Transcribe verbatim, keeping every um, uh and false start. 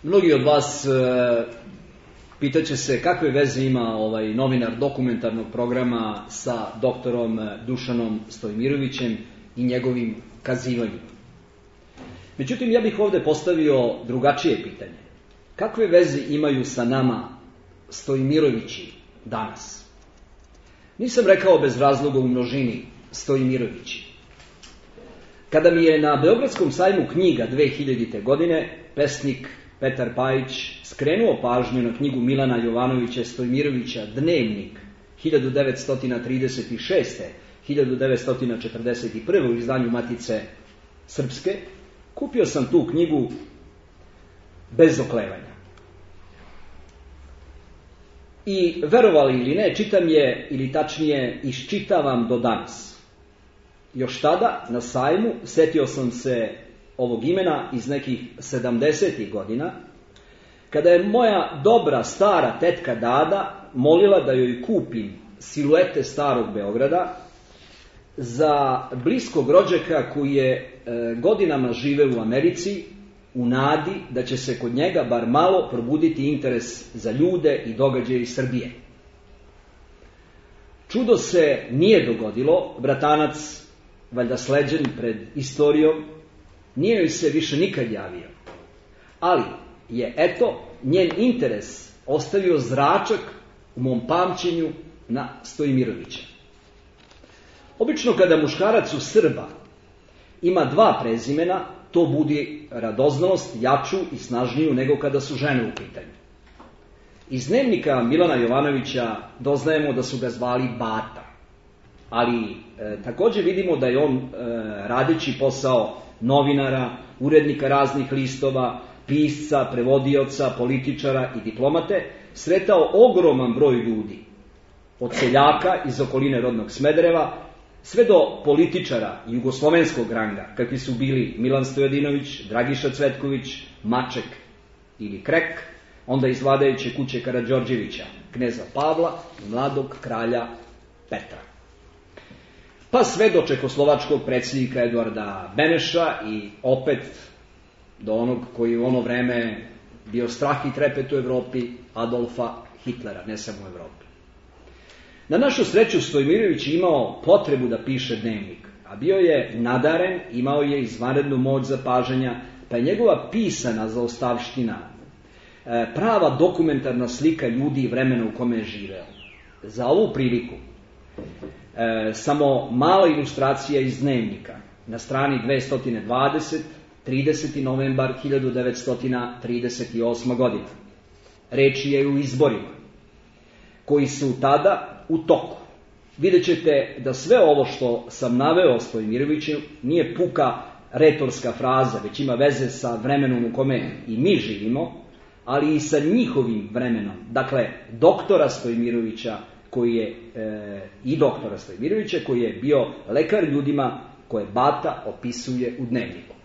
Mnogi od vas e, pitaće se kakve veze ima ovaj novinar dokumentarnog programa sa doktorom Dušanom Stojmirovićem i njegovim kazivanjima. Međutim, ja bih ovdje postavio drugačije pitanje. Kakve veze imaju sa nama Stojmirovići danas? Nisam rekao bez razloga u množini Stojmirovići. Kada mi je na Beogradskom sajmu knjiga dve hiljadite. godine pesnik Petar Pajić skrenuo pažnju na knjigu Milana Jovanovića Stojmirovića Dnevnik hiljadu devetsto trideset šeste. do hiljadu devetsto četrdeset prve. u izdanju Matice Srpske, kupio sam tu knjigu bez oklevanja. I verovali ili ne, čitam je, ili tačnije iščitavam do danas. Još tada, na sajmu, setio sam se ovog imena iz nekih sedamdesetih godina, kada je moja dobra stara tetka Dada molila da joj kupim siluete starog Beograda za bliskog rođaka koji je e, godinama žive u Americi, u nadi da će se kod njega bar malo probuditi interes za ljude i događaje iz Srbije. Čudo se nije dogodilo, bratanac, valjda sleđen pred istorijom, nije joj se više nikad javio. Ali je, eto, njen interes ostavio zračak u mom pamćenju na Stojmirovića. Obično kada muškarac u Srba ima dva prezimena, to budi radoznalost jaču i snažniju nego kada su žene u pitanju. Iz Dnevnika Milana Jovanovića doznajemo da su ga zvali Bata, ali e, također vidimo da je on, e, radeći posao novinara, urednika raznih listova, pisca, prevodioca, političara i diplomate, sretao ogroman broj ljudi, od seljaka iz okoline rodnog Smedereva, sve do političara jugoslovenskog ranga, kakvi su bili Milan Stojadinović, Dragiša Cvetković, Maček ili Krek, onda iz vladajuće kuće Karađorđevića, kneza Pavla i mladog kralja Petra. Pa sve do čekoslovačkog predsjednika Eduarda Beneša i opet do onog koji u ono vreme bio strah i trepet u Evropi, Adolfa Hitlera, ne samo u Evropi. Na našu sreću Stojmirović je imao potrebu da piše dnevnik, a bio je nadaren, imao je izvanrednu moć zapažanja, pa je njegova pisana zaostavština prava dokumentarna slika ljudi i vremena u kome je živeo. Za ovu priliku e, samo mala ilustracija iz dnevnika na strani dvesta dvadeset, trideseti novembar hiljadu devetsto trideset osme. godine. Reč je u izborima koji su tada u toku. Vidjet ćete da sve ovo što sam naveo Stojmiroviću nije puka retorska fraza, već ima veze sa vremenom u kome i mi živimo, ali i sa njihovim vremenom. Dakle, doktora Stojmirovića koji je e, i doktora Stojmirovića koji je bio lekar ljudima koje Bata opisuje u dnevniku.